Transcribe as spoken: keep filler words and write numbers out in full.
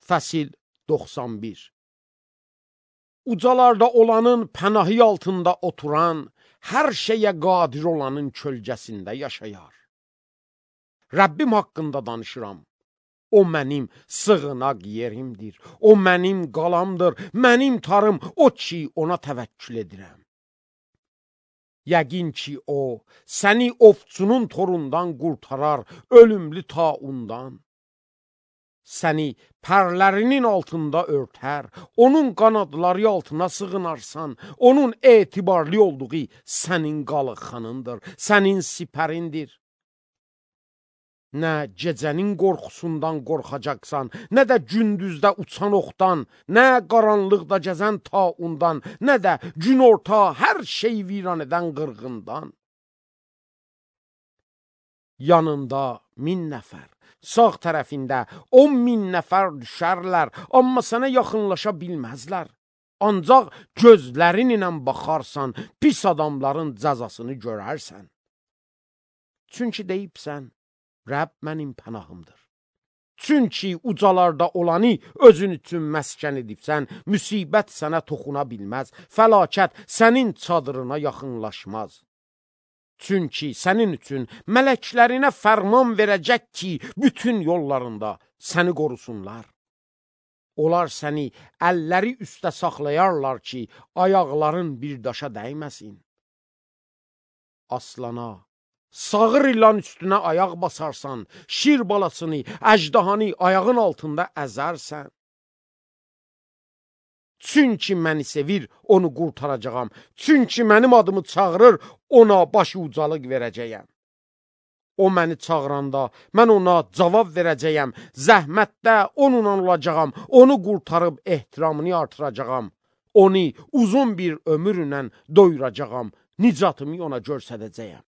Fəsil doxsan bir. Ucalarda olanın pənahı altında oturan, hər şeyə qadir olanın kölgəsində yaşayar. Rəbbim haqqında danışıram. O mənim sığınaq yerimdir. O mənim qalamdır, mənim tarım, o ki ona təvəkkül edirəm. Yəqin ki o, səni ovçunun torundan qurtarar, ölümlü taundan. Səni pərlərinin altında örtər, onun qanadları altına sığınarsan, onun etibarlı olduğu sənin qalxanındır, sənin sipərindir. Nə gecənin qorxusundan qorxacaqsan, nə də gündüzdə uçan oxdan, nə qaranlıqda gəzən taundan, nə də gün orta hər şey viran edən qırğından. Yanında min nəfər, sağ tərəfində on min nəfər düşərlər, amma sənə yaxınlaşa bilməzlər. Ancaq gözlərin ilə baxarsan, pis adamların cəzasını görərsən. Çünki deyibsən, Rəbb mənim pənahımdır. Çünki ucalarda olanı özün üçün məskən edibsən, müsibət sənə toxuna bilməz, fəlakət sənin çadırına yaxınlaşmaz. Çünki sənin üçün mələklərinə fərman verəcək ki, bütün yollarında səni qorusunlar. Onlar səni əlləri üstə saxlayarlar ki, ayaqların bir daşa dəyməsin. Aslana, sağır ilan üstünə ayaq basarsan, şir balasını, əjdahanı ayağın altında əzərsən. Çünki məni sevir, onu qurtaracağam. Çünki mənim adımı çağırır, ona başı ucalıq verəcəyəm. O məni çağıranda, mən ona cavab verəcəyəm. Zəhmətdə onunla olacağam, onu qurtarıb ehtiramını artıracağam. Onu uzun bir ömürlə doyuracağam, nicatımı ona göstərəcəyəm.